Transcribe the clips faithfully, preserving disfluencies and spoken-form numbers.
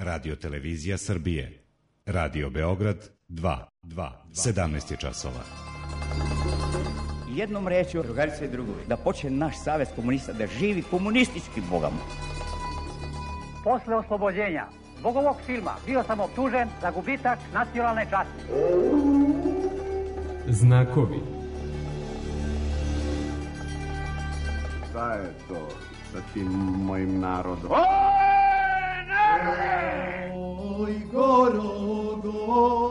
Radio Televizija Srbije. Radio Beograd dva, sedamnaest je časova. Jednom rečju, drugarice i drugovi, da počne naš savez komunista da živi komunistički bogama. Posle oslobođenja zbog ovog filma bio sam optužen za gubitak nacionalne časti. Znakovi. Šta je to sa tim mojim narodom? Oj, Gorogo.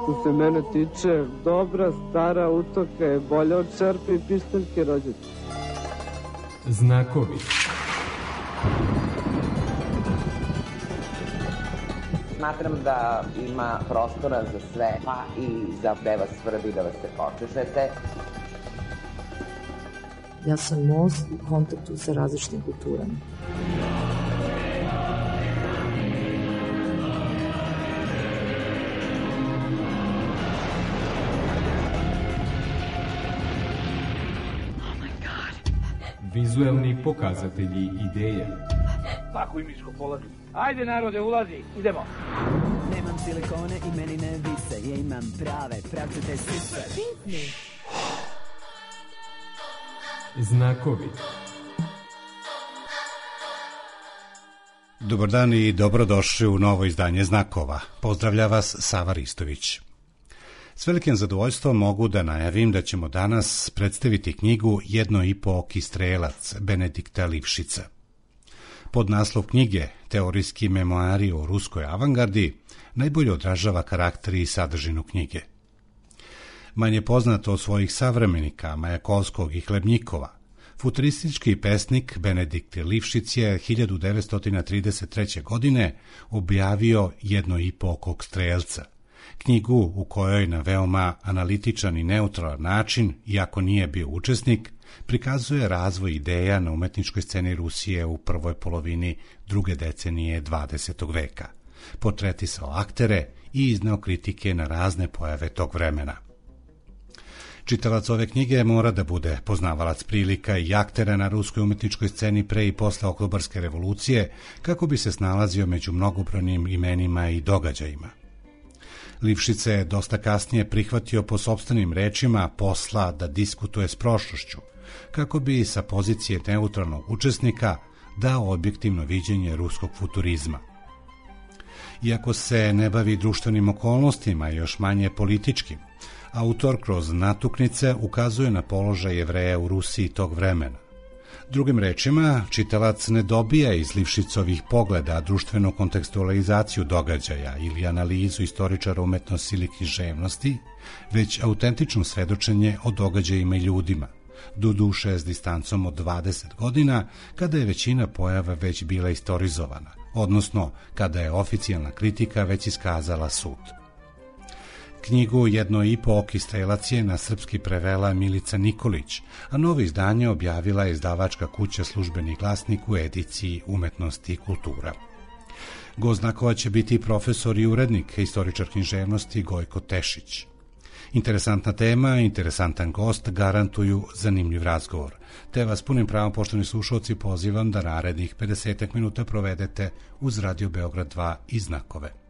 Što se mene tiče, dobra stara utoka je bolja od čerpe i pištaljke rođaca. Znakovi. Smatram da ima prostora za sve, pa i za da vas svrbi da vas se počešete. Ja sam most u kontaktu sa različitim kulturama. Vizuelni pokazatelji ideje. Tako i miško polazi. Ajde narode, ulazi, idemo. Nemam silikone i meni ne vise, ja imam prave, pravcete sise. Pitni. Znakovi. Dobar dan i dobrodošli u novo izdanje Znakova. Pozdravlja vas Sava Ristović. S velikim zadovoljstvom mogu da najavim da ćemo danas predstaviti knjigu Jedno i po oki strelac Benedikta Livšica. Pod naslov knjige Teorijski memoari o ruskoj avangardi najbolje odražava karakter i sadržinu knjige. Manje poznato od svojih savremenika Majakovskog i Hlebnjikova, futuristički pesnik Benedikt Livšic je hiljadu devetsto trideset treće. godine objavio Jedno i po okog strelca, knjigu u kojoj na veoma analitičan i neutralan način, iako nije bio učesnik, prikazuje razvoj ideja na umetničkoj sceni Rusije u prvoj polovini druge decenije dvadesetog veka, portretisao aktere i izneo kritike na razne pojave tog vremena. Čitalac ove knjige mora da bude poznavalac prilika i aktera na ruskoj umetničkoj sceni pre i posle Oktobarske revolucije, kako bi se snalazio među mnogobrojnim imenima i događajima. Livšić je dosta kasnije prihvatio po sopstvenim rečima posla da diskutuje s prošlošću, kako bi sa pozicije neutralnog učesnika dao objektivno viđenje ruskog futurizma. Iako se ne bavi društvenim okolnostima i još manje političkim, autor kroz natuknice ukazuje na položaj Jevreja u Rusiji tog vremena. Drugim rečima, čitalac ne dobija iz Livšicovih pogleda društvenu kontekstualizaciju događaja ili analizu istoričara umetnosti ili književnosti, već autentično svedočenje o događajima i ljudima, doduše s distancom od dvadeset godina, kada je većina pojava već bila istorizovana, odnosno kada je oficijalna kritika već iskazala sud. Knjigu Jedno i po oki strelac je na srpski prevela Milica Nikolić, a novo izdanje objavila je izdavačka kuća Službeni glasnik u ediciji Umetnosti i kultura. Gost Znakova će biti profesor i urednik, istoričar književnosti Gojko Tešić. Interesantna tema, interesantan gost garantuju zanimljiv razgovor, te vas punim pravom, poštovani slušalci, pozivam da narednih pedeset minuta provedete uz Radio Beograd dva i Znakove.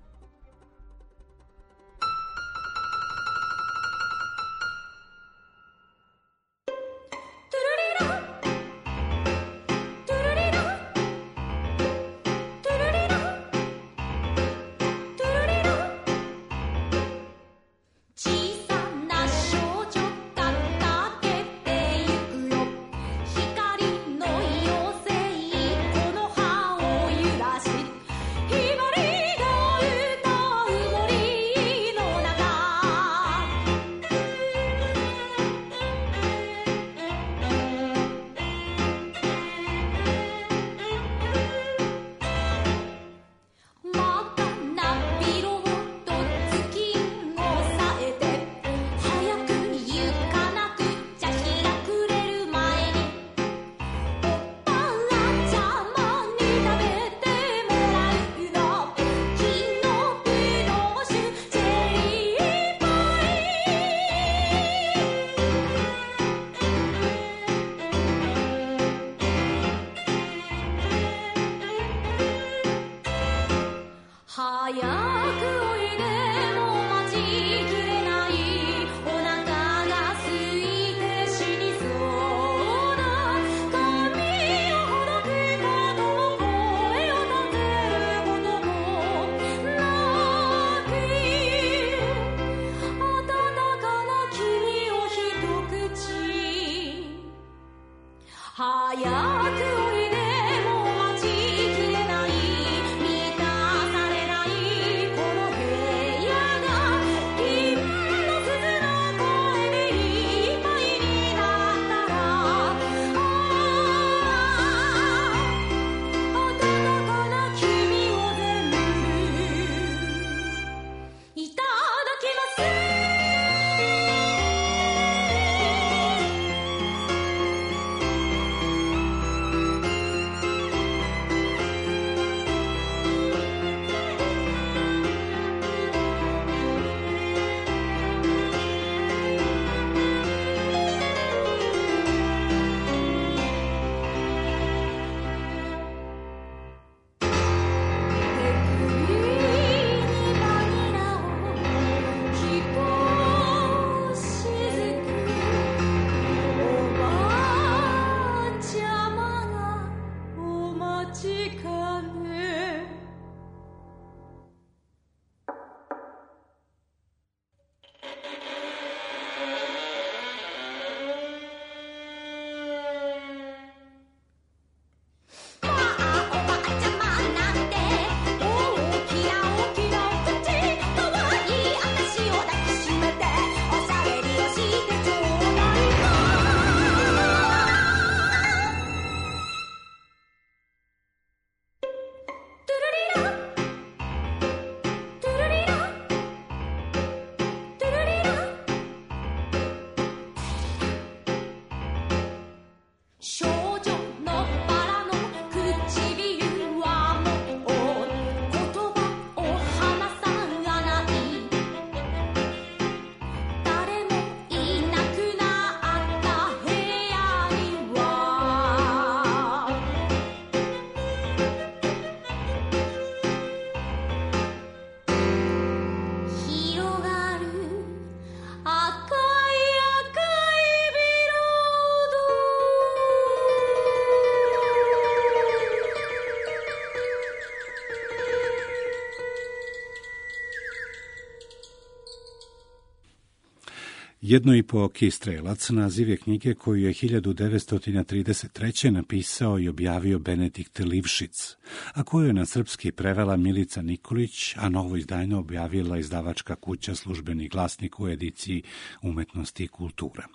Jedno i po oki strelac naziv je knjige koju je hiljadu devetsto trideset treće. napisao i objavio Benedikt Livšic, a koju je na srpski prevela Milica Nikolić, a novo izdanje objavila izdavačka kuća Službeni glasnik u ediciji Umetnosti i kultura.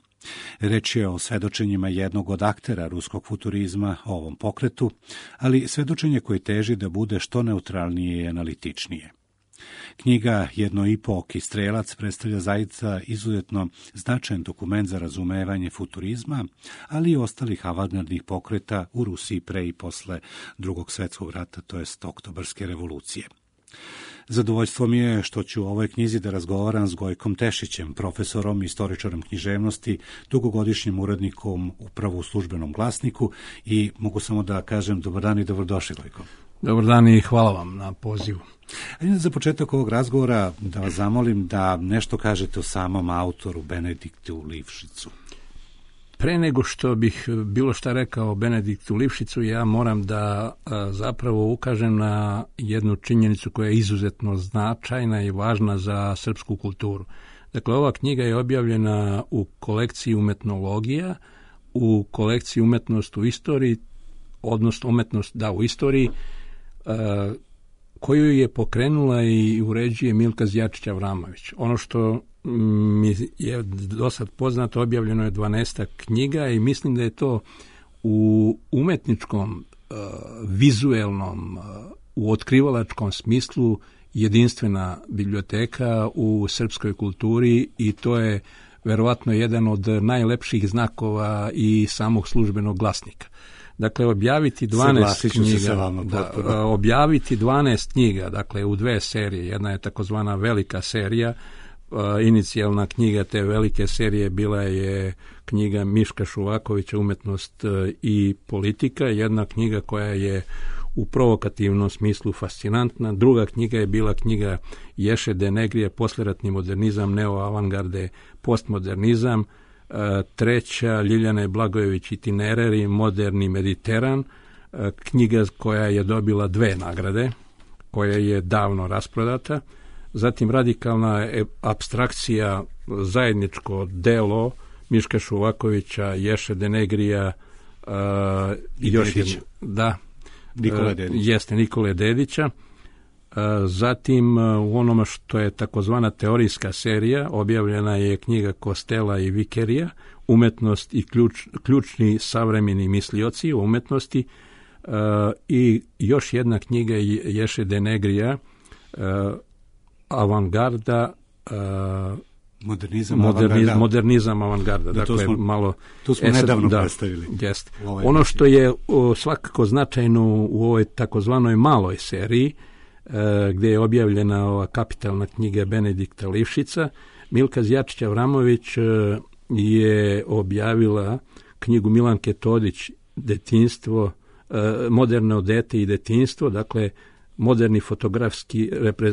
Reč je o svedočenjima jednog od aktera ruskog futurizma o ovom pokretu, ali svedočenje koje teži da bude što neutralnije i analitičnije. Knjiga Jedno i po oki strelac predstavlja zaista izuzetno značajan dokument za razumevanje futurizma, ali i ostalih avangardnih pokreta u Rusiji pre i posle Drugog svetskog rata, to jest Oktobarske revolucije. Zadovoljstvo mi je što ću u ovoj knjizi da razgovaram s Gojkom Tešićem, profesorom, istoričarom književnosti, dugogodišnjim urednikom upravo u Službenom glasniku, i mogu samo da kažem dobar dan i dobrodošli, Gojko. Dobar dan i hvala vam na pozivu. Ajde za početak ovog razgovora da vas zamolim da nešto kažete o samom autoru Benediktu Livšicu. Pre nego što bih bilo šta rekao o Benediktu Livšicu, ja moram da a, zapravo ukažem na jednu činjenicu koja je izuzetno značajna i važna za srpsku kulturu. Dakle, ova knjiga je objavljena u kolekciji umetnologija, u kolekciji umetnost u istoriji, odnosno umetnost da u istoriji, a, koju je pokrenula i uređuje Milka Zjačić-Avramović. Ono što mi je do sad poznato, objavljeno je dvanaestak knjiga i mislim da je to u umetničkom, uh, vizuelnom, uh, u otkrivalačkom smislu jedinstvena biblioteka u srpskoj kulturi i to je verovatno jedan od najlepših znakova i samog Službenog glasnika. Dakle, objaviti dvanaest knjiga, vama, da, objaviti dvanaest knjiga, dakle u dve serije, jedna je takozvana velika serija, inicijalna knjiga te velike serije bila je knjiga Miška Šuvakovića Umetnost i politika, jedna knjiga koja je u provokativnom smislu fascinantna. Druga knjiga je bila knjiga Ješe de Negrije, posleratni modernizam, neoavangarde, postmodernizam. Treća, Ljiljane Blagojević Itinerari, moderni Mediteran, knjiga koja je dobila dve nagrade, koja je davno rasprodata. Zatim radikalna apstrakcija, zajedničko delo Miška Šuvakovića, Ješe de Negrija uh, i još jedno, da, Nikole Dedića. Jeste, Nikole Dedića. Uh, zatim uh, u onome što je takozvana teorijska serija objavljena je knjiga Kostela i Vikerija, umetnost i ključ, ključni savremeni mislioci o umetnosti, uh, i još jedna knjiga Ješe de Negrija, uh, Avangarda, uh, modernizam, moderniz, avangarda. modernizam avangarda. Da, dakle, smo, malo, tu smo e, sad, nedavno da, predstavili. Jest. Ono što je o, svakako značajno u ovoj takozvanoj maloj seriji, e, gdje je objavljena ova kapitalna knjiga Benedikta Livšica, Milka Zjačić-Avramović e, je objavila knjigu Milanke Todić, Detinstvo, e, moderno dete i detinstvo, dakle moderni fotografski, repre,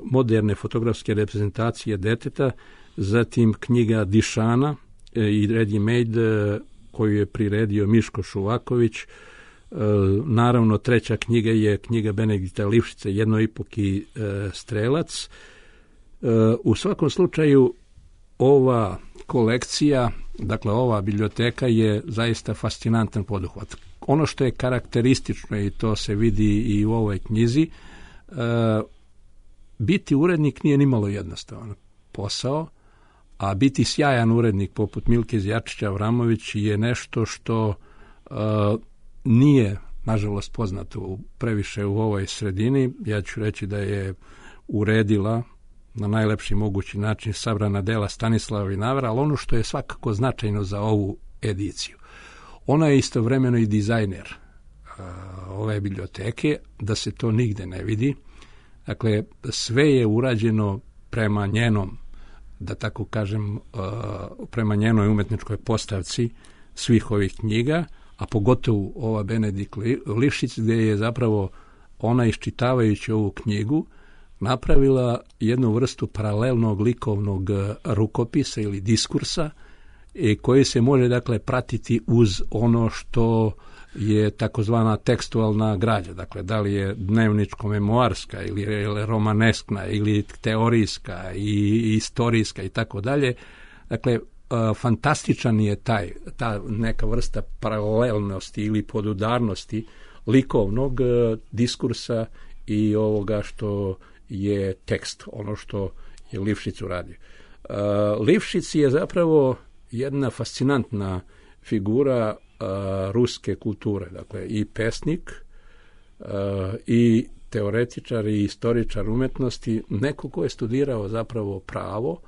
moderne fotografske reprezentacije deteta, zatim knjiga Dišana e, i Ready Made e, koju je priredio Miško Šuvaković. E, naravno, treća knjiga je knjiga Benedikta Livšice, Jednoipoki e, strelac. E, u svakom slučaju, ova kolekcija, dakle ova biblioteka je zaista fascinantan poduhvat. Ono što je karakteristično, i to se vidi i u ovoj knjizi, e, biti urednik nije nimalo jednostavan posao, a biti sjajan urednik poput Milke Zjačića-Avramović je nešto što e, nije, nažalost, poznato previše u ovoj sredini. Ja ću reći da je uredila na najlepši mogući način sabrana dela Stanislava Vinavera, ali ono što je svakako značajno za ovu ediciju, ona je istovremeno i dizajner uh, ove biblioteke, da se to nigde ne vidi. Dakle, sve je urađeno prema njenom, da tako kažem, uh, prema njenoj umetničkoj postavci svih ovih knjiga, a pogotovo ova Benedikt Livšić, gdje je zapravo ona, iščitavajući ovu knjigu, napravila jednu vrstu paralelnog likovnog rukopisa ili diskursa, i koji se može, dakle, pratiti uz ono što je takozvana tekstualna građa. Dakle, da li je dnevničko-memoarska ili romaneskna ili teorijska i istorijska i tako dalje. Dakle, fantastičan je taj, ta neka vrsta paralelnosti ili podudarnosti likovnog diskursa i ovoga što je tekst, ono što je Livšić uradio. Livšić je zapravo jedna fascinantna figura a, ruske kulture, dakle i pesnik a, i teoretičar i istoričar umetnosti, neko ko je studirao zapravo pravo,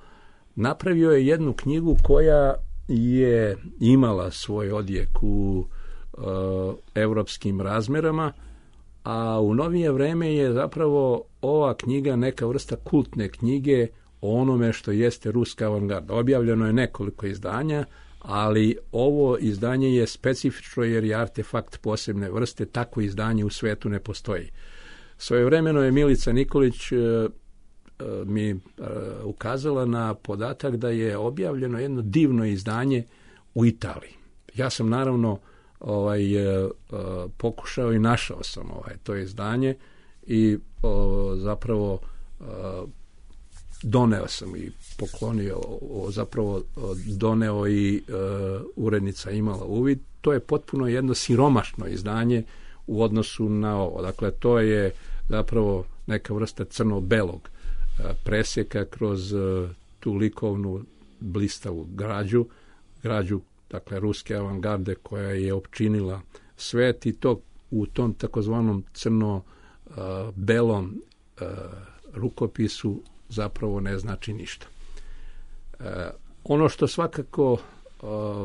napravio je jednu knjigu koja je imala svoj odjek u a, evropskim razmerama, a u novije vreme je zapravo ova knjiga neka vrsta kultne knjige o onome što jeste ruska avangarda. Objavljeno je nekoliko izdanja, ali ovo izdanje je specifično jer je artefakt posebne vrste, takvo izdanje u svetu ne postoji. Svojevremeno je Milica Nikolić e, e, mi e, ukazala na podatak da je objavljeno jedno divno izdanje u Italiji. Ja sam naravno ovaj, e, e, pokušao i našao sam ovaj, to izdanje i o, zapravo e, doneo sam i poklonio, o, zapravo doneo i e, urednica imala uvid. To je potpuno jedno siromašno izdanje u odnosu na ovo. Dakle, to je zapravo neka vrsta crno-belog e, presjeka kroz e, tu likovnu blistavu građu, građu, dakle, ruske avangarde koja je opčinila svet, i to u tom takozvanom crno-belom e, rukopisu zapravo ne znači ništa. E, ono što svakako e,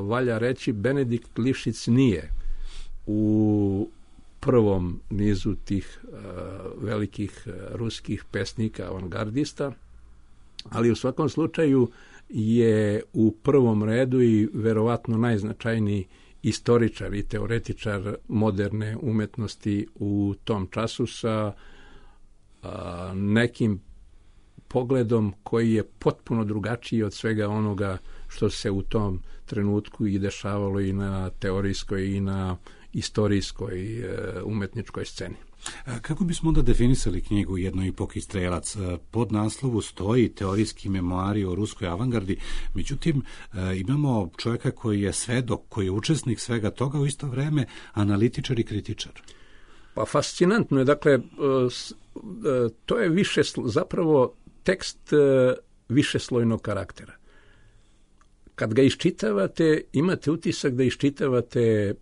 valja reći, Benedikt Livšić nije u prvom nizu tih e, velikih ruskih pesnika, avangardista, ali u svakom slučaju je u prvom redu i verovatno najznačajniji istoričar i teoretičar moderne umetnosti u tom času sa a, nekim pogledom koji je potpuno drugačiji od svega onoga što se u tom trenutku i dešavalo i na teorijskoj i na istorijskoj e, umetničkoj sceni. Kako bismo onda definisali knjigu Jednoipoki strelac? Pod naslovu stoji teorijski memoari o ruskoj avangardi, međutim imamo čovjeka koji je svedok, koji je učesnik svega toga, u isto vreme analitičar i kritičar. Pa fascinantno je, dakle, to je više, zapravo tekst višeslojnog karaktera. Kad ga iščitavate, imate utisak da iščitavate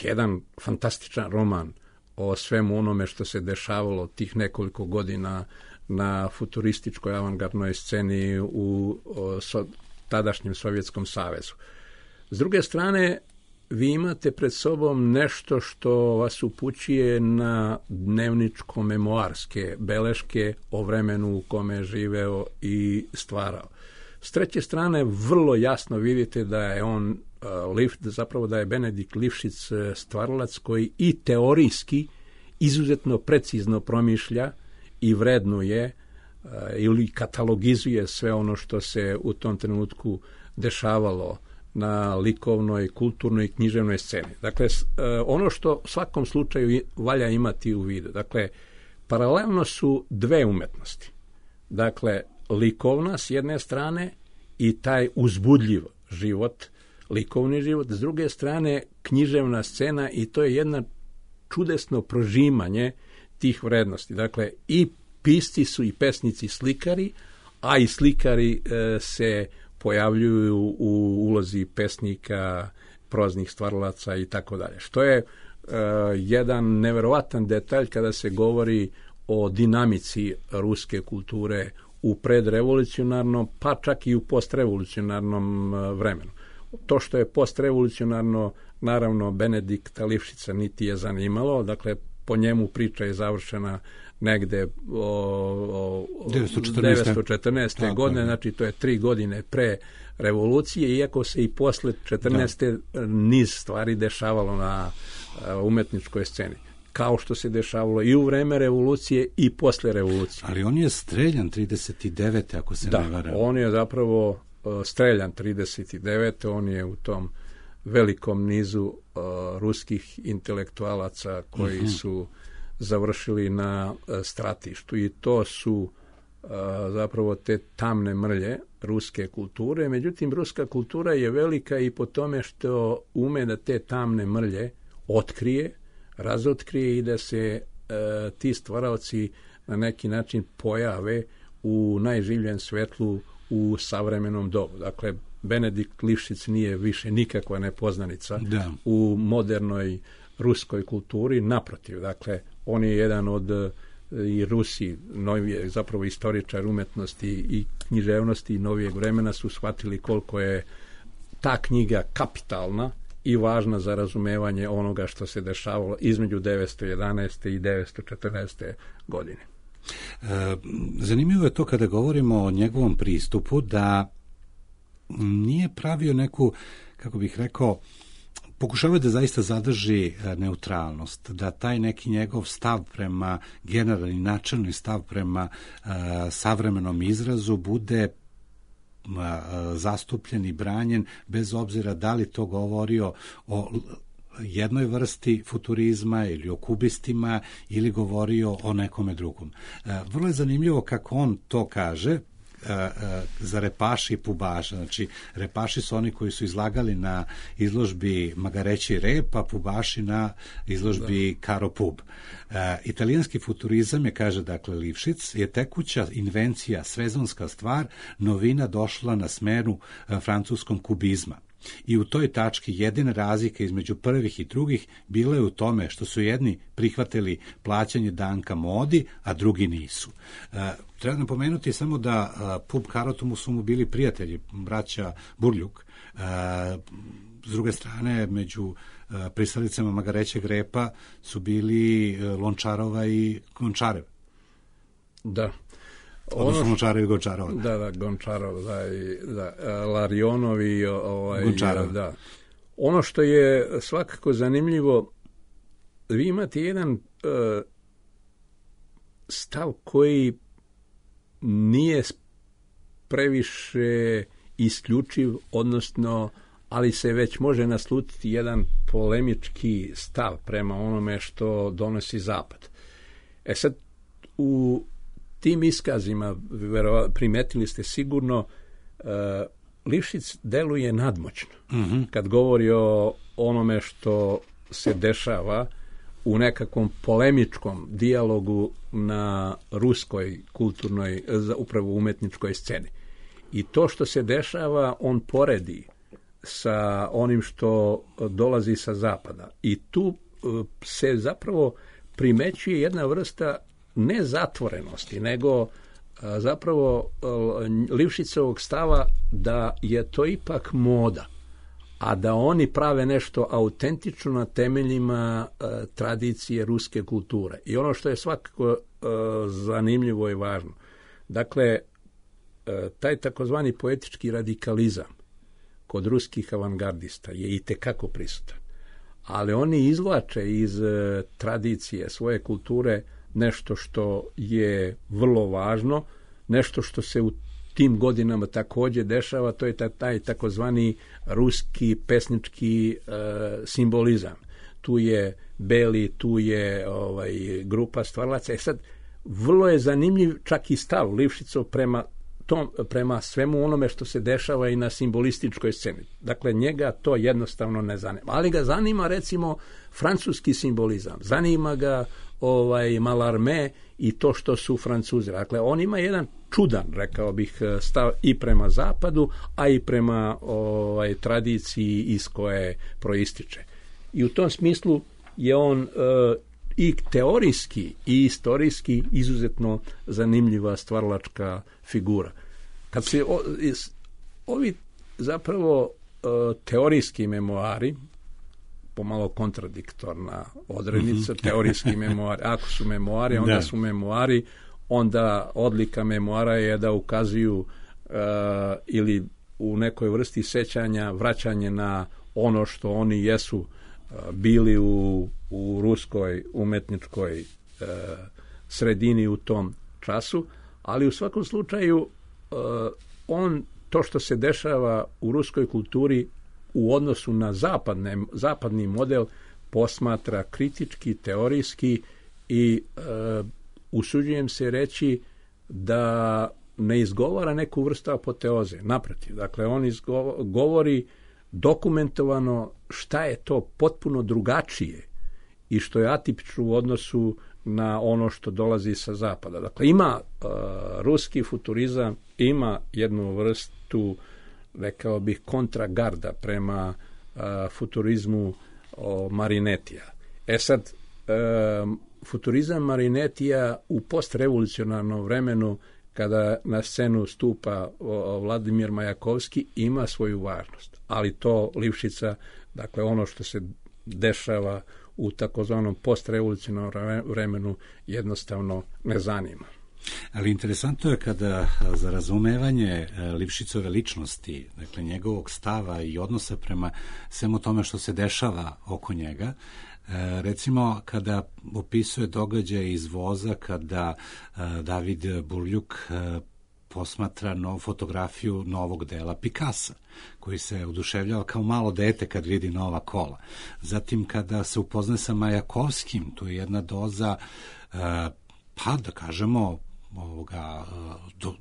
jedan fantastičan roman o svemu onome što se dešavalo tih nekoliko godina na futurističkoj avangardnoj sceni u o, so, tadašnjem Sovjetskom savezu. S druge strane, vi imate pred sobom nešto što vas upućuje na dnevničko-memoarske beleške o vremenu u kome je živeo i stvarao. S treće strane, vrlo jasno vidite da je on zapravo da je Benedikt Livšić stvaralac koji i teorijski izuzetno precizno promišlja i vrednuje ili katalogizuje sve ono što se u tom trenutku dešavalo na likovnoj, kulturnoj i književnoj sceni. Dakle, ono što u svakom slučaju valja imati u vidu. Dakle, paralelno su dve umetnosti. Dakle, likovna s jedne strane i taj uzbudljiv život, likovni život, s druge strane književna scena, i to je jedna čudesno prožimanje tih vrednosti. Dakle, i pisci su i pesnici slikari, a i slikari e, se pojavljuju u ulozi pesnika, proznih stvaralaca i tako dalje. Što je e, jedan neverovatan detalj kada se govori o dinamici ruske kulture u predrevolucionarnom, pa čak i u postrevolucionarnom vremenu. To što je postrevolucionarno, naravno, Benedikta Livšića niti je zanimalo, dakle, po njemu priča je završena negde o, o devetsto četrnaeste. godine, znači to je tri godine pre revolucije, iako se i posle četrnaeste. Da. niz stvari dešavalo na umetničkoj sceni, kao što se dešavalo i u vreme revolucije i posle revolucije. Ali on je streljan trideset devete. ako se da, ne varam. On je zapravo streljan trideset devete. On je u tom velikom nizu uh, ruskih intelektualaca koji uh-huh. su završili na uh, stratištu, i to su uh, zapravo te tamne mrlje ruske kulture. Međutim, ruska kultura je velika i po tome što ume da te tamne mrlje otkrije, razotkrije i da se uh, ti stvaraoci na neki način pojave u najživljem svetlu u savremenom dobu. Dakle, Benedikt Livšić nije više nikakva nepoznanica da. u modernoj ruskoj kulturi, naprotiv. Dakle, on je jedan od i Rusi, novije, zapravo istoričar umetnosti i književnosti i novijeg vremena su shvatili koliko je ta knjiga kapitalna i važna za razumevanje onoga što se dešavalo između devetsto jedanaeste. i devetsto četrnaeste. godine. E, zanimljivo je to kada govorimo o njegovom pristupu da nije pravio neku, kako bih rekao, pokušavao da zaista zadrži neutralnost, da taj neki njegov stav prema generalni, načelni stav prema uh, savremenom izrazu bude uh, zastupljen i branjen, bez obzira da li to govorio o jednoj vrsti futurizma ili o kubistima ili govorio o nekome drugom. Uh, vrlo je zanimljivo kako on to kaže za repaši i pubaša. Znači, repaši su oni koji su izlagali na izložbi Magareći rep, a pubaši na izložbi da. Karo pub. Uh, italijanski futurizam je, kaže dakle Livšić, je tekuća invencija, sezonska stvar, novina došla na smenu uh, francuskom kubizma. I u toj tački jedina razlika između prvih i drugih bila je u tome što su jedni prihvatili plaćanje danka modi, a drugi nisu. Uh, treba napomenuti samo da uh, pub Karotomu su mu bili prijatelji, braća Burljuk. Uh, s druge strane, među uh, pristalicama Magarećeg repa su bili uh, Lončarova i Gončarev. Da. Odnosno Gončarov i Gončarov. Da, da, Gončarov, da, i, da, Larionovi, ovaj, Gončarov. Da. Ono što je svakako zanimljivo, vi imate jedan uh, stav koji nije previše isključiv, odnosno, ali se već može naslutiti jedan polemički stav prema onome što donosi Zapad. E sad, u tim iskazima, primetili ste sigurno, uh, Lifšić deluje nadmoćno. Mm-hmm. Kad govori o onome što se dešava u nekakvom polemičkom dijalogu na ruskoj kulturnoj, upravo umetničkoj sceni. I to što se dešava, on poredi sa onim što dolazi sa zapada. I tu se zapravo primećuje jedna vrsta ne zatvorenosti, nego zapravo Lifšićevog stava da je to ipak moda, a da oni prave nešto autentično na temeljima e, tradicije ruske kulture. I ono što je svakako e, zanimljivo i važno, dakle, e, taj takozvani poetički radikalizam kod ruskih avangardista je itekako prisutan, ali oni izvlače iz e, tradicije svoje kulture nešto što je vrlo važno, nešto što se u tim godinama također dešava, to je taj, taj takozvani ruski pesnički e, simbolizam. Tu je Beli, tu je ovaj, grupa stvaralaca. E sad, vrlo je zanimljiv čak i stav Lifšićov prema, tom, prema svemu onome što se dešava i na simbolističkoj sceni. Dakle, njega to jednostavno ne zanima. Ali ga zanima, recimo, francuski simbolizam. Zanima ga ovaj Mallarmé i to što su Francuzi. Dakle, on ima jedan čudan, rekao bih, stav i prema zapadu, a i prema ovaj, tradiciji iz koje proističe. I u tom smislu je on e, i teorijski i istorijski izuzetno zanimljiva stvaralačka figura. Kad se o, ovi zapravo e, teorijski memoari, pomalo kontradiktorna odrednica, mm-hmm. teorijski memoari, ako su memoari, onda da. su memoari, onda odlika memoara je da ukazuju uh, ili u nekoj vrsti sećanja vraćanje na ono što oni jesu uh, bili u, u ruskoj umetničkoj uh, sredini u tom času, ali u svakom slučaju uh, on, to što se dešava u ruskoj kulturi u odnosu na zapadne, zapadni model posmatra kritički, teorijski i uh, usuđujem se reći da ne izgovara neku vrstu apoteoze. Naprotiv, dakle, on izgo- govori dokumentovano šta je to potpuno drugačije i što je atipično u odnosu na ono što dolazi sa zapada. Dakle, ima uh, ruski futurizam, ima jednu vrstu, rekao bih, kontragarda prema uh, futurizmu uh, Marinetija. E sad, uh, futurizam Marinetija u postrevolucionarnom vremenu, kada na scenu stupa Vladimir Majakovski, ima svoju važnost. Ali to Lifšića, dakle ono što se dešava u takozvanom postrevolucionarnom vremenu, jednostavno ne zanima. Ali interesantno je kada za razumevanje Lifšićove ličnosti, dakle njegovog stava i odnosa prema svemu tome što se dešava oko njega, recimo kada opisuje događaje iz voza, kada David Burljuk posmatra no, fotografiju novog dela Picassa, koji se oduševljava kao malo dete kad vidi nova kola. Zatim kada se upozna sa Majakovskim, tu je jedna doza, pa da kažemo, ovoga, do,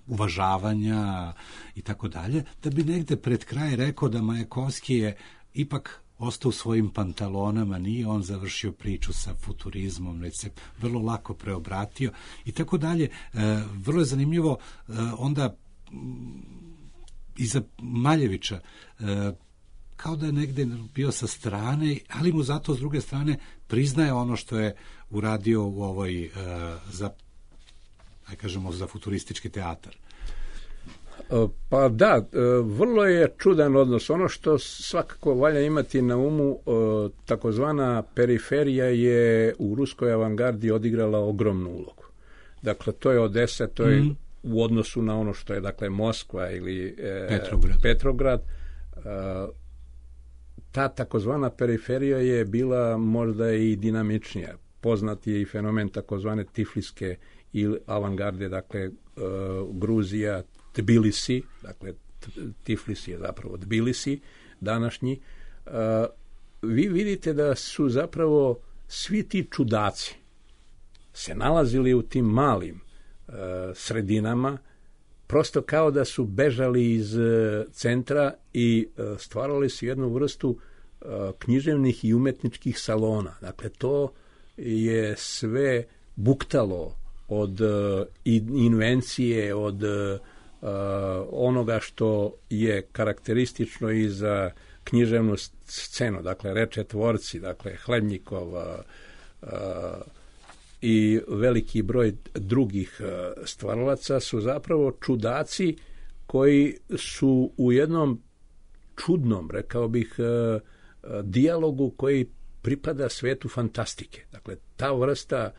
uvažavanja i tako dalje, da bi negde pred kraj rekao da Majakovski je ipak ostao u svojim pantalonama, nije on završio priču sa futurizmom, već se vrlo lako preobratio i tako dalje. E, vrlo je zanimljivo e, onda iza Maljevića, e, kao da je negde bio sa strane, ali mu zato s druge strane priznaje ono što je uradio u ovoj e, za, aj kažemo, za futuristički teatar. Pa da, vrlo je čudan odnos. Ono što svakako valja imati na umu, takozvana periferija je u ruskoj avangardi odigrala ogromnu ulogu. Dakle, to je Odesa, to je mm. u odnosu na ono što je, dakle, Moskva ili e, Petrograd. Petrograd. ta takozvana periferija je bila možda i dinamičnija. Poznat je i fenomen takozvane tifliske ili avangarde, dakle Gruzija, Tbilisi, dakle Tiflis je zapravo Tbilisi današnji. Vi vidite da su zapravo svi ti čudaci se nalazili u tim malim sredinama, prosto kao da su bežali iz centra i stvarali su jednu vrstu književnih i umetničkih salona. Dakle, to je sve buktalo od invencije, od onoga što je karakteristično i za književnu scenu. Dakle, reče tvorci, dakle, Hlebnjikov i veliki broj drugih stvaralaca su zapravo čudaci koji su u jednom čudnom, rekao bih, dijalogu koji pripada svetu fantastike. Dakle, ta vrsta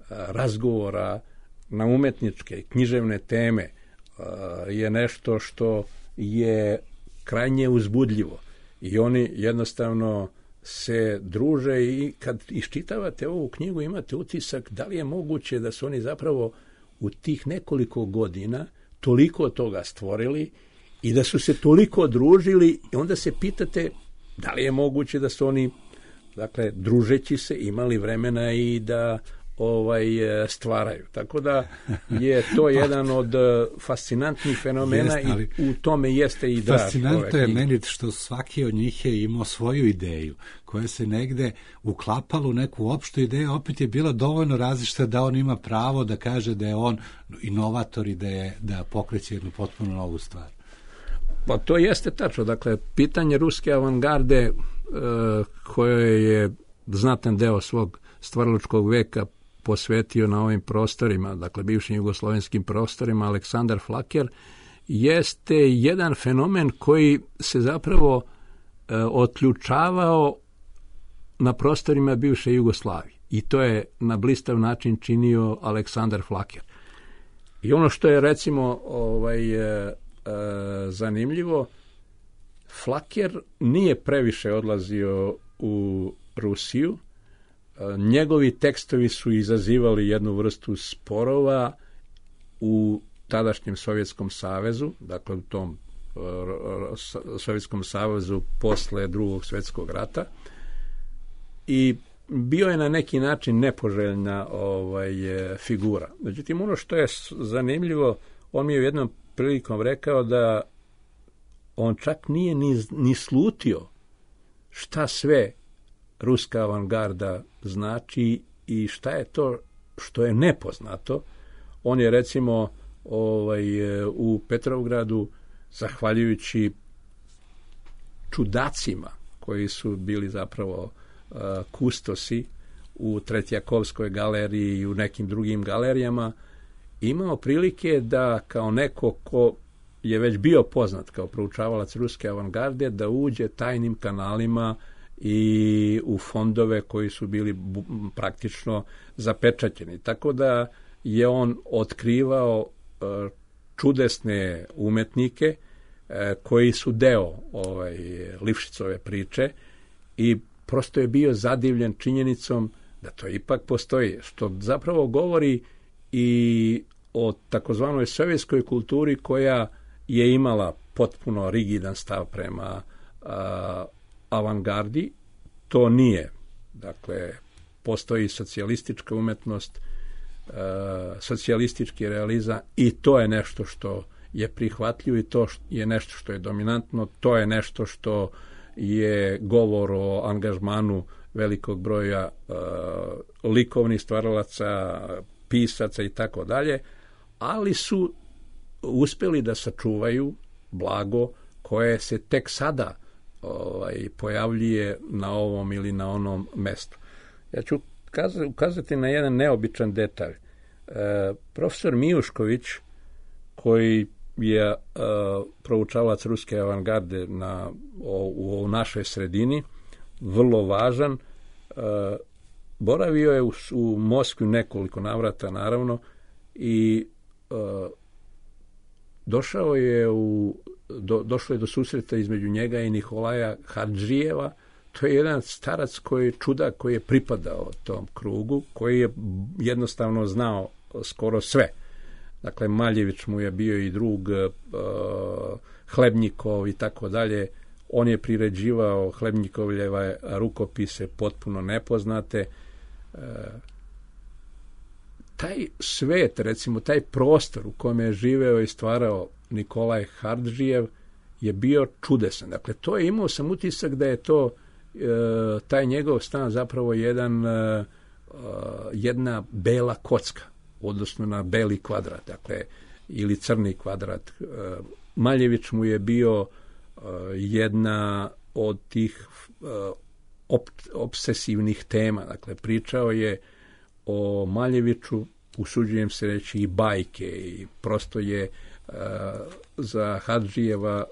razgovora na umetničke i književne teme je nešto što je krajnje uzbudljivo i oni jednostavno se druže i kad iščitavate ovu knjigu imate utisak da li je moguće da su oni zapravo u tih nekoliko godina toliko toga stvorili i da su se toliko družili i onda se pitate da li je moguće da su oni, dakle, družeći se imali vremena i da ovaj stvaraju. Tako da je to jedan od fascinantnih fenomena. Jest, ali i u tome jeste i da. Fascinantno je meni što svaki od njih je imao svoju ideju koja se negde uklapala u neku opštu ideju, opet je bila dovoljno različita da on ima pravo da kaže da je on inovator i da, je, da pokreće jednu potpuno novu stvar. Pa to jeste tačno. Dakle, pitanje ruske avangarde e, koje je znatan deo svog stvaralačkog veka posvetio na ovim prostorima, dakle bivšim jugoslovenskim prostorima, Aleksandar Flaker, jeste jedan fenomen koji se zapravo e, otključavao na prostorima bivše Jugoslavije. I to je na blistav način činio Aleksandar Flaker. I ono što je recimo ovaj, e, e, zanimljivo, Flaker nije previše odlazio u Rusiju. Njegovi tekstovi su izazivali jednu vrstu sporova u tadašnjem Sovjetskom savezu, dakle u tom uh, Sovjetskom savezu posle Drugog svjetskog rata i bio je na neki način nepoželjna ovaj, figura. Međutim, ono što je zanimljivo, on mi je u jednom prilikom rekao da on čak nije ni, ni slutio šta sve ruska avangarda znači i šta je to što je nepoznato. On je recimo ovaj, u Petrovgradu, zahvaljujući čudacima koji su bili zapravo uh, kustosi u Tretjakovskoj galeriji i u nekim drugim galerijama, imao prilike da kao neko ko je već bio poznat kao proučavalac ruske avangarde, da uđe tajnim kanalima i u fondove koji su bili praktično zapečaćeni. Tako da je on otkrivao uh, čudesne umetnike uh, koji su deo ovaj, Lifšicove priče i prosto je bio zadivljen činjenicom da to ipak postoji, što zapravo govori i o takozvanoj sovjetskoj kulturi koja je imala potpuno rigidan stav prema uh, avangardi. To nije. Dakle, postoji socijalistička umetnost, uh, socijalistički realizam i to je nešto što je prihvatljivo i to je nešto što je dominantno, to je nešto što je govor o angažmanu velikog broja uh, likovnih stvaralaca, pisaca i tako dalje, ali su uspeli da sačuvaju blago koje se tek sada ovaj, pojavljuje na ovom ili na onom mestu. Ja ću ukazati na jedan neobičan detalj. E, profesor Mijušković, koji je e, proučavac ruske avangarde na, o, u, u našoj sredini, vrlo važan, e, boravio je u, u Moskvi nekoliko navrata, naravno, i e, došao je u do, došlo je do susreta između njega i Nikolaja Hadžijeva. To je jedan starac koji je čudak, koji je pripadao tom krugu, koji je jednostavno znao skoro sve. Dakle, Maljević mu je bio i drug, uh, Hlebnjikov i tako dalje. On je priređivao Hlebnjikovljeve rukopise potpuno nepoznate. Uh, taj svet, recimo, taj prostor u kojem je živeo i stvarao Nikolaj Hadžijev je bio čudesan. Dakle, to je, imao sam utisak da je to e, taj njegov stan zapravo jedan, e, jedna bela kocka, odnosno na beli kvadrat, dakle, ili crni kvadrat. E, Maljević mu je bio e, jedna od tih e, op, obsesivnih tema. Dakle, pričao je o Maljeviću, usuđujem se reći, i bajke, i prosto je uh, za Hadžijeva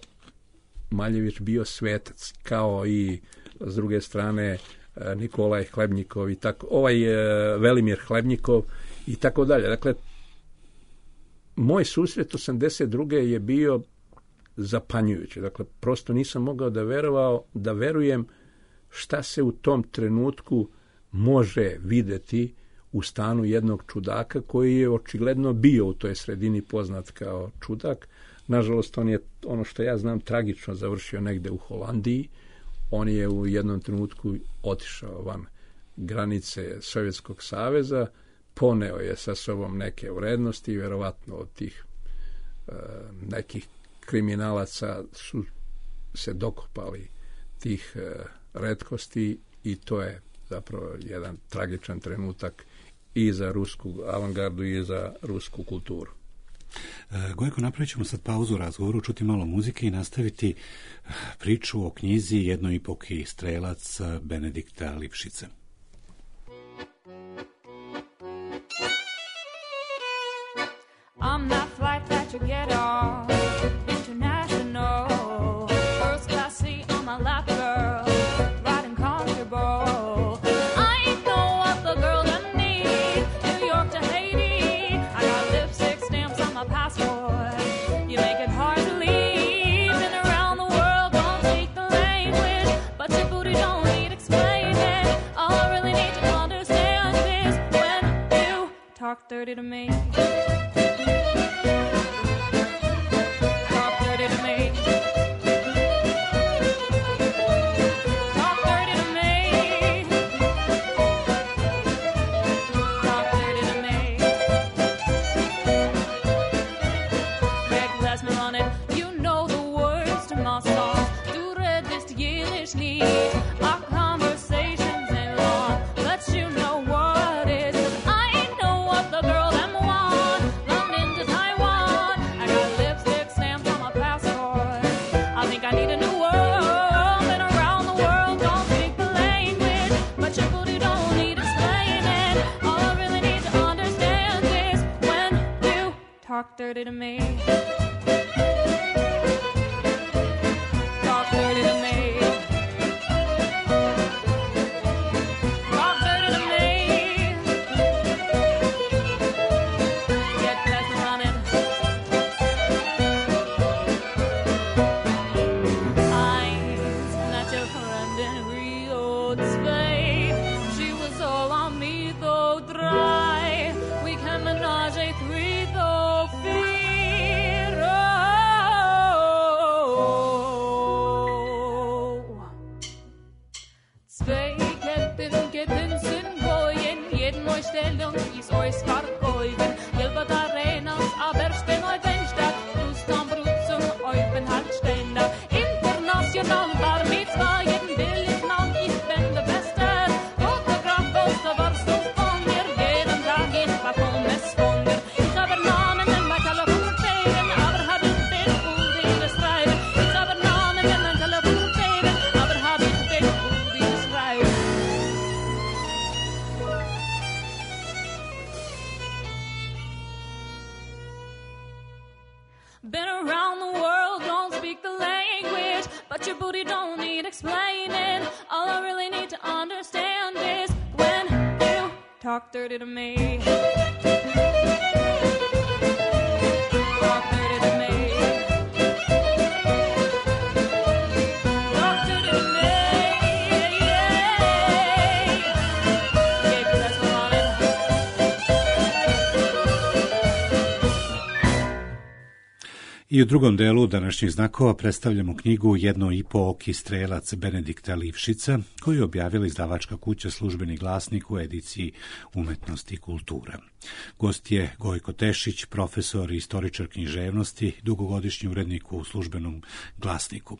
Maljević bio svetac, kao i s druge strane uh, Nikolaj Hlebnjikov i tako, ovaj uh, Velimir Hlebnjikov i tako dalje. Dakle, moj susret osamdeset druge je bio zapanjujući. Dakle, prosto nisam mogao da verovao, da verujem šta se u tom trenutku može videti u stanu jednog čudaka koji je očigledno bio u toj sredini poznat kao čudak. Nažalost, on je, ono što ja znam, tragično završio negde u Holandiji. On je u jednom trenutku otišao van granice Sovjetskog saveza, poneo je sa sobom neke vrednosti i verovatno od tih e, nekih kriminalaca su se dokopali tih e, retkosti i to je zapravo jedan tragičan trenutak i za rusku avangardu i za rusku kulturu. E, Gojko, napravit ćemo sad pauzu u razgovoru, čuti malo muzike i nastaviti priču o knjizi Jednoipoki strelac Benedikta Lipšice. I'm that flight that you get on international, first class seat on my lap, girl, riding comfortable. I ain't know what the girl that need, New York to Haiti. I got lipstick stamps on my passport. You make it hard to leave. Been around the world, don't speak the language, but your booty don't need explaining. All I really need to understand is when you talk dirty to me. Talk dirty to me. Talk dirty to me. Talk dirty to me. Get back running. Eyes not your friend in Rio de Spain. She was all on me though dry. We can menage a three though. Stellung ist euch vergeugen. Hilbert Arenas, aber stehen euch Fenster. Lustam Brut zum Eupen Handständer. International war mit zwei jeden billig Mann. Ich bin der Beste. Fotograf, Poster, warst du von mir. Jeden Tag ich war vom Messwunder. Ich habe Namen in mein Telefon fehlen, aber hab ich den Uldige schreiben. Ich habe Namen in mein Telefon fehlen, aber hab ich den Uldige schreiben. Been around the world, don't speak the language, but your booty don't need explaining. All I really need to understand is when you talk dirty to me. Talk dirty to me. I u drugom delu današnjih znakova predstavljamo knjigu Jedno i po oki strelac Benedikta Livšica, koju je objavila izdavačka kuća Službeni glasnik u ediciji Umetnost i kultura. Gost je Gojko Tešić, profesor i istoričar književnosti, dugogodišnji urednik u Službenom glasniku.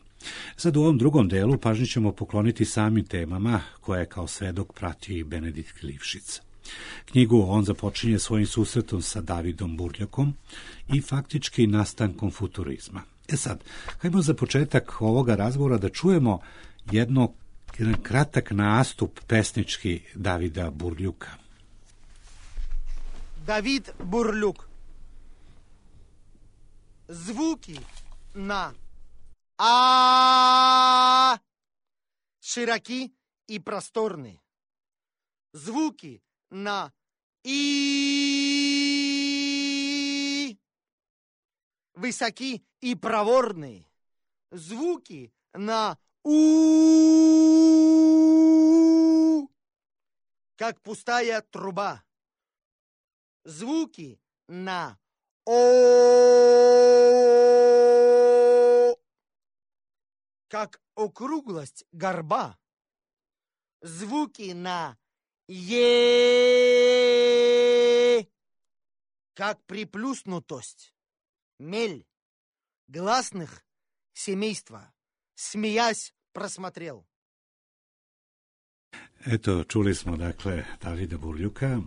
Sad u ovom drugom delu pažnju ćemo pokloniti samim temama koje je kao svedok pratio i Benedikt Livšic. Knjigu on započinje svojim susretom sa Davidom Burljakom i faktički nastankom futurizma. E sad, hajmo za početak ovoga razgovora da čujemo jedno, jedan kratak nastup pesnički Davida Burljuka. Давид Бурлюк. Звуки на А широки и просторны. Звуки на И высоки и проворны. Звуки на У как пустая труба. Звуки на О как округлость горба. Звуки на Е как приплюснутость. Мель гласных семейства, смеясь, просмотрел. Eto, čuli smo, dakle, Davida Burljuka, e,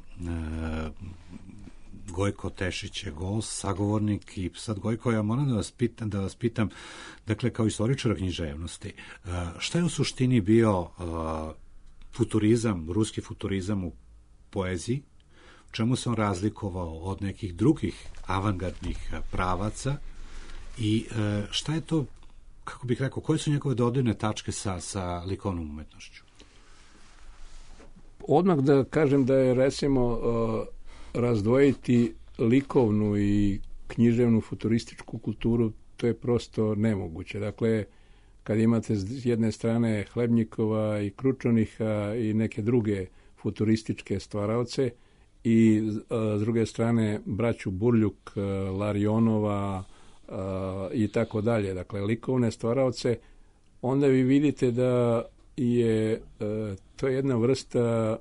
Gojko Tešić je gost, sagovornik i sad, Gojko, ja moram da vas pitam, da vas pitam, dakle, kao istoričara književnosti, e, šta je u suštini bio e, futurizam, ruski futurizam u poeziji, u čemu se on razlikovao od nekih drugih avangardnih pravaca i e, šta je to, kako bih rekao, koje su njegove dodirne tačke sa, sa likovnom umetnošću? Odmah da kažem da je, recimo, razdvojiti likovnu i književnu futurističku kulturu, to je prosto nemoguće. Dakle, kad imate s jedne strane Hlebnjikova i Kručoniha i neke druge futurističke stvaraoce i s druge strane braću Burljuk, Larionova i tako dalje, dakle, likovne stvaraoce, onda vi vidite da je to je jedna vrsta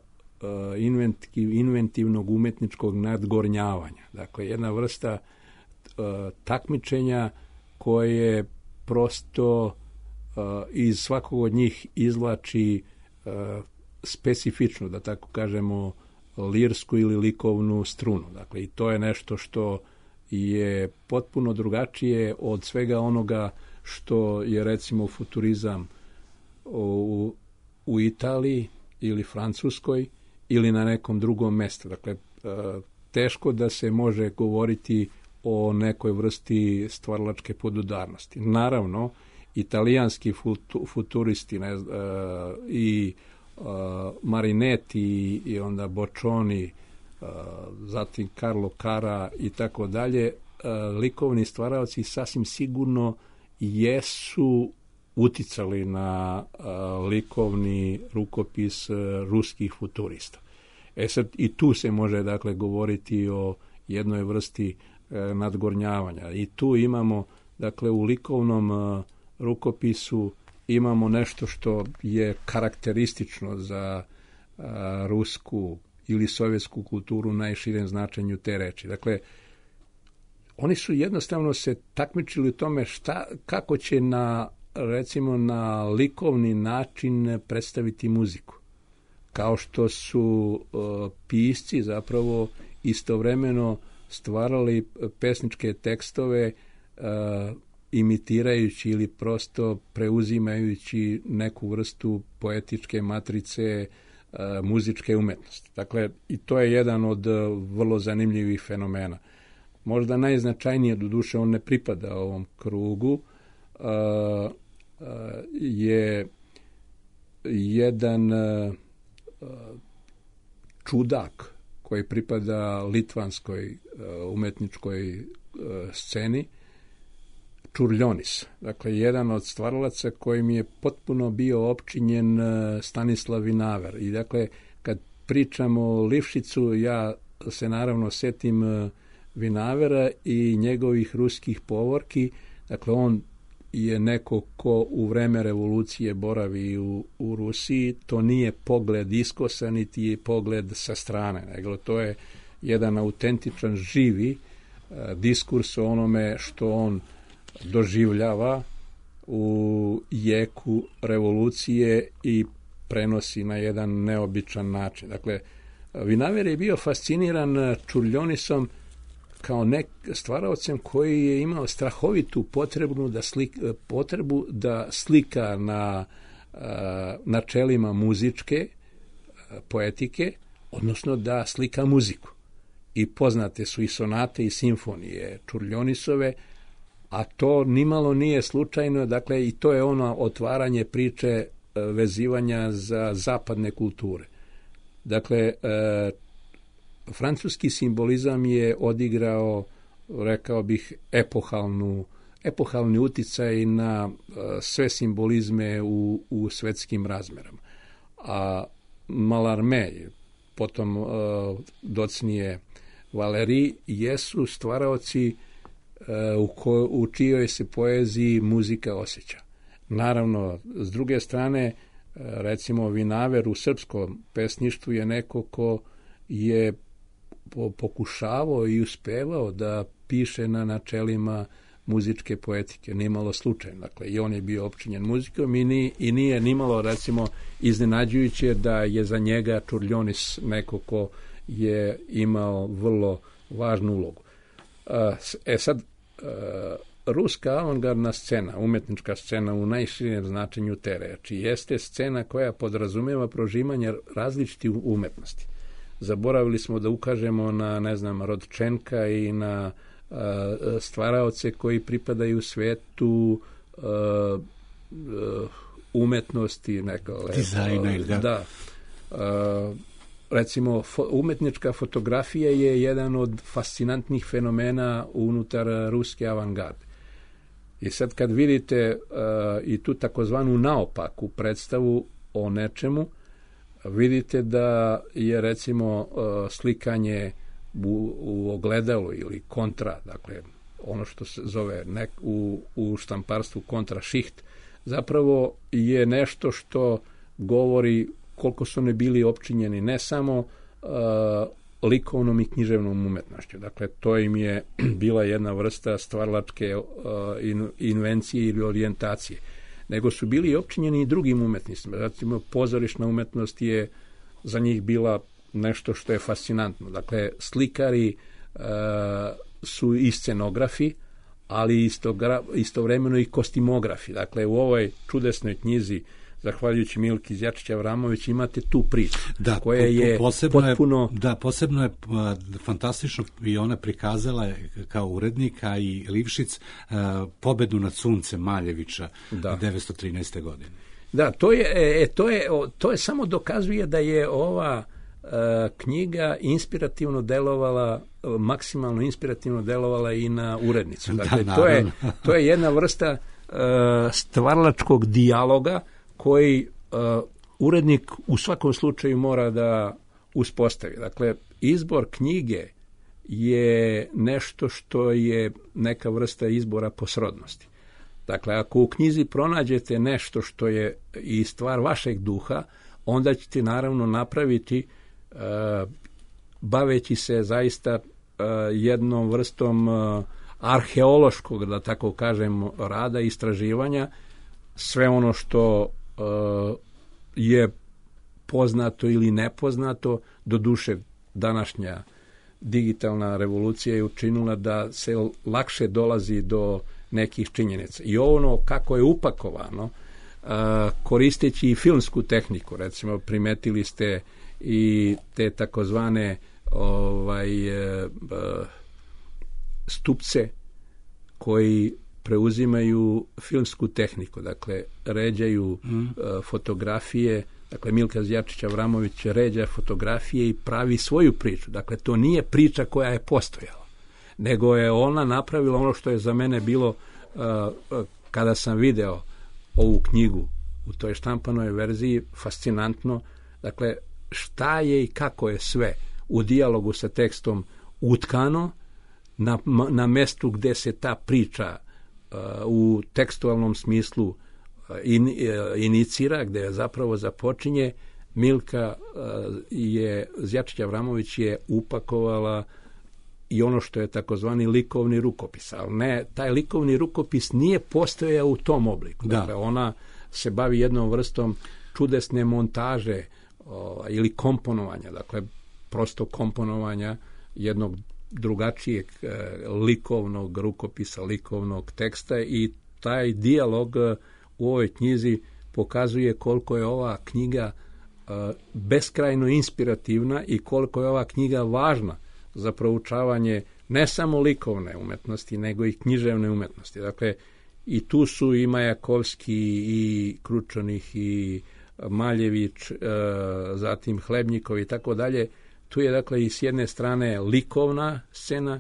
inventivnog umetničkog nadgornjavanja. Dakle, jedna vrsta takmičenja koje prosto iz svakog od njih izvlači specifičnu, da tako kažemo, lirsku ili likovnu strunu. Dakle, i to je nešto što je potpuno drugačije od svega onoga što je, recimo, futurizam u, u Italiji ili Francuskoj ili na nekom drugom mestu. Dakle, teško da se može govoriti o nekoj vrsti stvaralačke podudarnosti. Naravno, italijanski futuristi ne, i Marinetti i onda Boccioni, zatim Carlo Cara i tako dalje, likovni stvaraoci sasvim sigurno jesu uticali na likovni rukopis ruskih futurista. E sad, i tu se može, dakle, govoriti o jednoj vrsti nadgornjavanja. I tu imamo, dakle, u likovnom rukopisu imamo nešto što je karakteristično za a, rusku ili sovjetsku kulturu u najširem značenju te reči. Dakle, oni su jednostavno se takmičili u tome šta, kako će na, recimo, na likovni način predstaviti muziku. Kao što su uh, pisci zapravo istovremeno stvarali pesničke tekstove uh, imitirajući ili prosto preuzimajući neku vrstu poetičke matrice uh, muzičke umetnosti. Dakle, i to je jedan od uh, vrlo zanimljivih fenomena. Možda najznačajnije, doduše on ne pripada ovom krugu, uh, uh, je jedan uh, čudak koji pripada litvanskoj uh, umetničkoj uh, sceni, Čurljonis. Dakle, jedan od stvaralaca kojim je potpuno bio opčinjen uh, Stanislav Vinaver. I dakle, kad pričamo o Livšicu, ja se naravno setim uh, Vinavera i njegovih ruskih povorki. Dakle, on je neko ko u vreme revolucije boravi u, u Rusiji. To nije pogled iskosa, niti je pogled sa strane, nego to je jedan autentičan, živi a, diskurs o onome što on doživljava u jeku revolucije i prenosi na jedan neobičan način. Dakle, Vinaver je bio fasciniran Čurljonisom kao nek stvaraocem koji je imao strahovitu potrebu da, slik, potrebu da slika na a, načelima muzičke a, poetike, odnosno da slika muziku. I poznate su i sonate i simfonije Čurljonisove, a to nimalo nije slučajno, dakle i to je ono otvaranje priče vezivanja za zapadne kulture. Dakle, e, francuski simbolizam je odigrao, rekao bih, epohalnu, epohalni uticaj na e, sve simbolizme u, u svetskim razmerama. A Mallarmé, potom e, docnije Valéry, jesu stvaraoci e, u, ko, u čijoj se poeziji muzika osjeća. Naravno, s druge strane, recimo Vinaver u srpskom pesništvu je neko ko je pokušavao i uspevao da piše na načelima muzičke poetike, nimalo slučajno. Dakle, i on je bio opčinjen muzikom i, ni, i nije nimalo, recimo, iznenađujuće da je za njega Čurljonis neko ko je imao vrlo važnu ulogu. E sad, ruska avangardna scena, umetnička scena u najširijem značenju te reči, jeste scena koja podrazumeva prožimanje različitih umetnosti. Zaboravili smo da ukažemo na, ne znam, Rodčenka i na a, stvaraoce koji pripadaju svetu a, a, umetnosti, neka dizajna, da. da a, recimo, fo, umetnička fotografija je jedan od fascinantnih fenomena unutar ruske avangarde. I sad kad vidite uh, i tu takozvanu naopaku predstavu o nečemu, vidite da je, recimo, uh, slikanje u, u ogledalu ili kontra, dakle, ono što se zove nek, u, u štamparstvu kontrašiht, zapravo je nešto što govori koliko su ne bili opčinjeni ne samo uh, likovnom i književnom umetnošću. Dakle, to im je bila jedna vrsta stvaralačke uh, in, invencije ili orijentacije. Nego su bili opčinjeni i drugim umetnicima. Recimo, pozorišna umetnost je za njih bila nešto što je fascinantno. Dakle, slikari uh, su i scenografi, ali istogra, istovremeno i kostimografi. Dakle, u ovoj čudesnoj knjizi, zahvaljujući Milki Zjačić-Avramović, imate tu priču, da, koja je posebno potpuno... Je, da, posebno je a, fantastično i ona prikazala kao urednika i Livšic a, pobedu nad suncem Maljevića da. devetsto trinaeste. godine. Da, to je, e, to je, to je samo dokazuje da je ova a, knjiga inspirativno delovala, maksimalno inspirativno delovala i na urednicu. Dakle, da, to, je, to je jedna vrsta a, stvaralačkog dijaloga koji uh, urednik u svakom slučaju mora da uspostavi. Dakle, izbor knjige je nešto što je neka vrsta izbora po srodnosti. Dakle, ako u knjizi pronađete nešto što je i stvar vašeg duha, onda ćete naravno napraviti, uh, baveći se zaista uh, jednom vrstom uh, arheološkog, da tako kažem, rada i istraživanja, sve ono što Uh, je poznato ili nepoznato. Do duše, današnja digitalna revolucija je učinila da se lakše dolazi do nekih činjenica. I ono kako je upakovano, uh, koristeći i filmsku tehniku, recimo primetili ste i te takozvane ovaj, uh, stupce koji preuzimaju filmsku tehniku, dakle, ređaju mm. uh, fotografije, dakle, Milka Zjačić-Avramović ređa fotografije i pravi svoju priču. Dakle, to nije priča koja je postojala, nego je ona napravila ono što je za mene bilo, uh, uh, kada sam video ovu knjigu u toj štampanoj verziji, fascinantno. Dakle, šta je i kako je sve u dijalogu sa tekstom utkano, na, na mestu gde se ta priča uh, u tekstualnom smislu uh, in, uh, inicira, gde zapravo započinje, Milka uh, je, Zjačić Avramović je upakovala i ono što je takozvani likovni rukopis, ali ne, taj likovni rukopis nije postojao u tom obliku. Da. Dakle, ona se bavi jednom vrstom čudesne montaže o, ili komponovanja, dakle, prosto komponovanja jednog drugačijeg e, likovnog rukopisa, likovnog teksta, i taj dijalog e, u ovoj knjizi pokazuje koliko je ova knjiga e, beskrajno inspirativna i koliko je ova knjiga važna za proučavanje ne samo likovne umetnosti, nego i književne umetnosti. Dakle, i tu su i Majakovski, i Kručanih, i Maljević, e, zatim Hlebnjikov i tako dalje. Tu je, dakle, i s jedne strane likovna scena, e,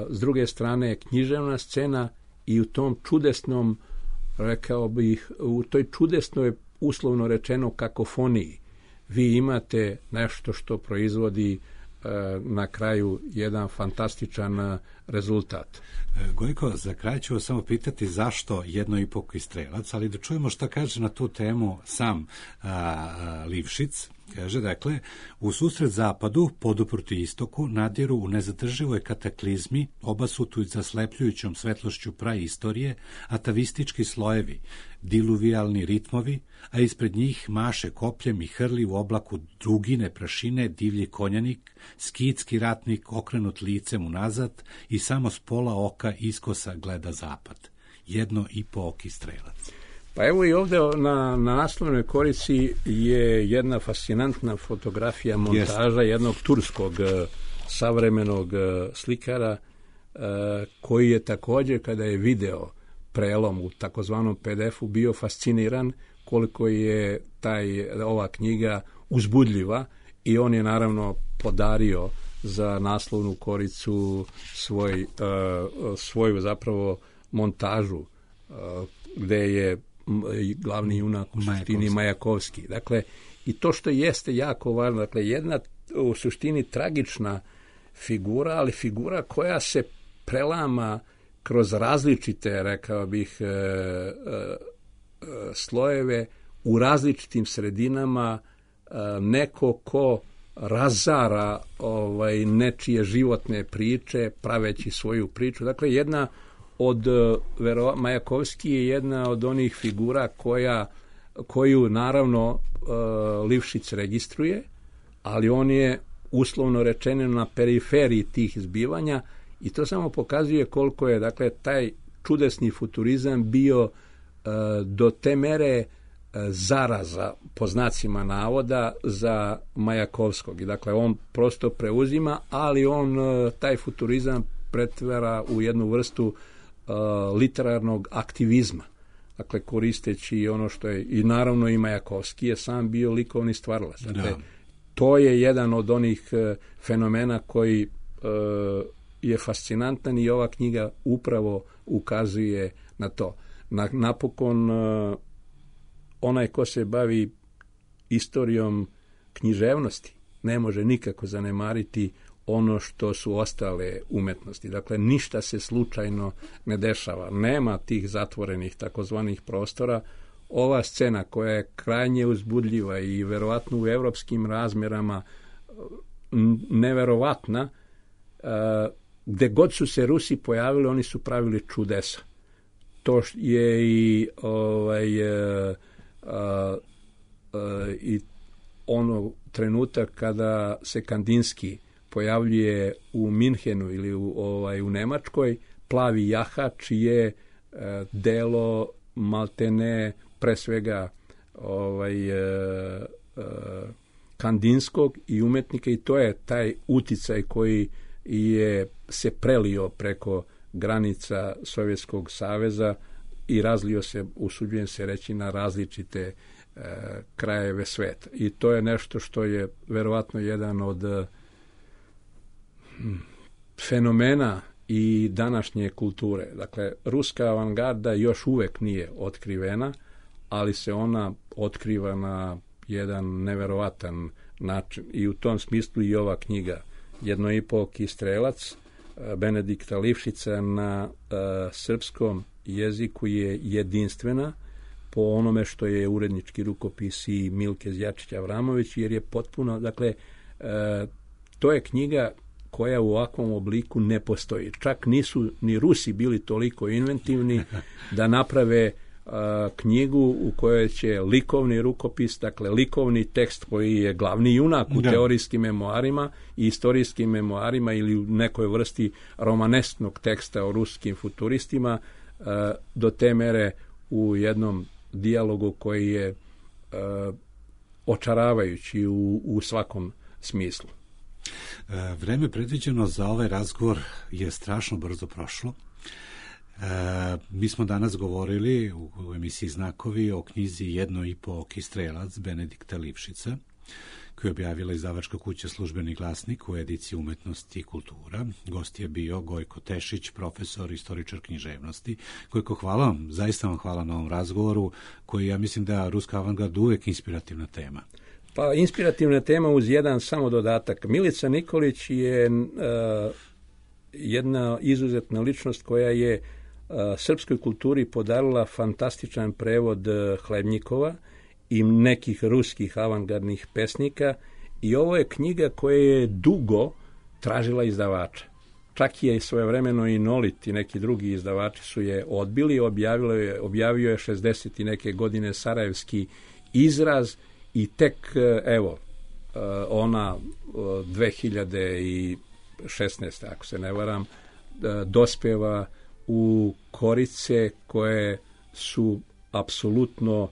s druge strane književna scena, i u tom čudesnom, rekao bih, u toj čudesnoj, uslovno rečeno, kakofoniji vi imate nešto što proizvodi na kraju jedan fantastičan rezultat. Gojko, za kraj ću samo pitati zašto jednoipoki strelac, ali da čujemo šta kaže na tu temu sam a, a, Livšic. Kaže, dakle, u susret zapadu, poduprti istoku, nadiru u nezadrživoj kataklizmi, obasutu zaslepljujućom svetlošću praistorije, atavistički slojevi, diluvijalni ritmovi, a ispred njih maše kopljem i hrli u oblaku drugine prašine divlji konjanik, skitski ratnik okrenut licem unazad i samo s pola oka iskosa gleda zapad. Jedno i po oki strelac. Pa evo i ovdje na, na naslovnoj korici je jedna fascinantna fotografija montaža yes. jednog turskog savremenog slikara koji je također, kada je video prelom u takozvanom P D F-u, bio fasciniran koliko je taj, ova knjiga uzbudljiva, i on je naravno podario za naslovnu koricu svoj, svoju zapravo montažu gde je glavni junak u suštini Majakovski. Dakle, i to što jeste jako važno, dakle, jedna u suštini tragična figura, ali figura koja se prelama kroz različite, rekao bih, e, e, slojeve u različitim sredinama, e, neko ko razara ovaj, nečije životne priče, praveći svoju priču. Dakle, jedna od Vero, Majakovski je jedna od onih figura koja, koju naravno uh, Livšić registruje, ali on je uslovno rečeno na periferiji tih zbivanja, i to samo pokazuje koliko je, dakle, taj čudesni futurizam bio uh, do te mere uh, zaraza, po znacima navoda, za Majakovskog. I dakle, on prosto preuzima, ali on uh, taj futurizam pretvara u jednu vrstu Uh, literarnog aktivizma, dakle, koristeći ono što je, i naravno i Majakovski je sam bio likovni stvaralac. Dakle, to je jedan od onih uh, fenomena koji uh, je fascinantan, i ova knjiga upravo ukazuje na to. Na, napokon uh, onaj ko se bavi istorijom književnosti ne može nikako zanemariti ono što su ostale umetnosti. Dakle, ništa se slučajno ne dešava. Nema tih zatvorenih takozvanih prostora. Ova scena koja je krajnje uzbudljiva i verovatno u evropskim razmerama neverovatna, gde god su se Rusi pojavili, oni su pravili čudesa. To je i ovaj, a, a, a, i ono trenutak kada se Kandinski pojavljuje u Minhenu ili u, ovaj, u Nemačkoj, plavi jahač je e, delo maltene pre svega ovaj, e, e, Kandinskog i umetnika, i to je taj uticaj koji je se prelio preko granica Sovjetskog saveza i razlio se, usuđujem se reći, na različite e, krajeve sveta. I to je nešto što je verovatno jedan od fenomena i današnje kulture. Dakle, ruska avangarda još uvek nije otkrivena, ali se ona otkriva na jedan neverovatan način, i u tom smislu i ova knjiga Jednoipoki strelac Benedikta Livšića na uh, srpskom jeziku je jedinstvena po onome što je urednički rukopis i Milke Zjačić Avramović, jer je potpuno, dakle, uh, to je knjiga koja u ovakvom obliku ne postoji. Čak nisu ni Rusi bili toliko inventivni da naprave a, knjigu u kojoj će likovni rukopis, dakle likovni tekst koji je glavni junak u da. teorijskim memoarima i istorijskim memoarima ili u nekoj vrsti romanesknog teksta o ruskim futuristima, a, do te mere u jednom dijalogu koji je a, očaravajući u, u svakom smislu. Vreme predviđeno za ovaj razgovor je strašno brzo prošlo. E, mi smo danas govorili u, u emisiji Znakovi o knjizi Jedno i po Kistrelac Benedikta Livšića, koju je objavila izdavačka kuća Službeni glasnik u ediciji Umetnosti i kultura. Gost je bio Gojko Tešić, profesor, istoričar književnosti. Gojko, hvala vam, zaista vam hvala na ovom razgovoru, koji ja mislim da ruska avangard uvek inspirativna tema. Pa, inspirativna tema uz jedan samo dodatak. Milica Nikolić je uh, jedna izuzetna ličnost koja je uh, srpskoj kulturi podarila fantastičan prevod uh, Hlebnjikova i nekih ruskih avangardnih pesnika, i ovo je knjiga koja je dugo tražila izdavača. Čak je svojevremeno i Nolit i neki drugi izdavači su je odbili, objavilo je, objavio je šezdeset i neke godine Sarajevski izraz, i tek, evo, ona dve hiljade šesnaeste. ako se ne varam, dospeva u korice koje su apsolutno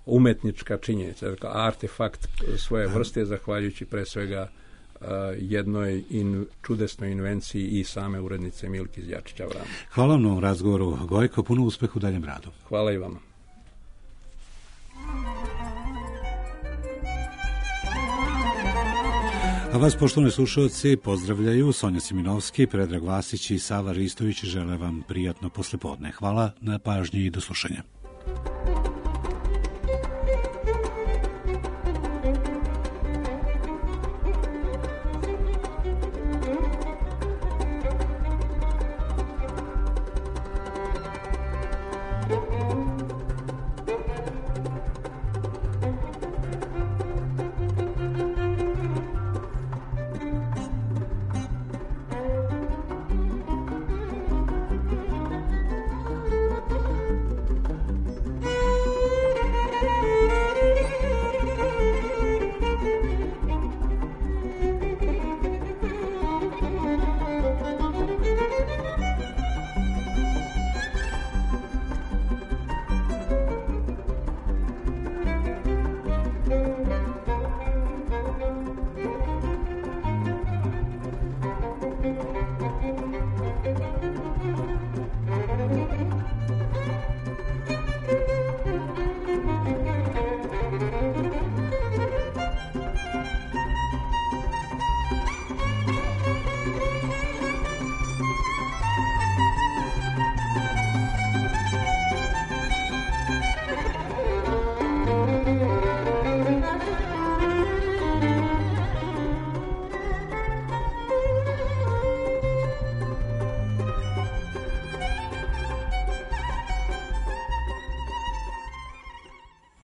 umetnička činjenica, dakle, artefakt svoje vrste, zahvaljujući pre svega jednoj in, čudesnoj invenciji i same urednice Milke Zjačić Avramović. Hvala vam na ovom razgovoru, Gojko, puno uspeha u daljem radu. Hvala i vama. A vas, poštovani slušalci, pozdravljaju Sonja Siminovski, Predrag Vasić i Sava Ristović. Žele vam prijatno poslepodne. Hvala na pažnji i do slušanja.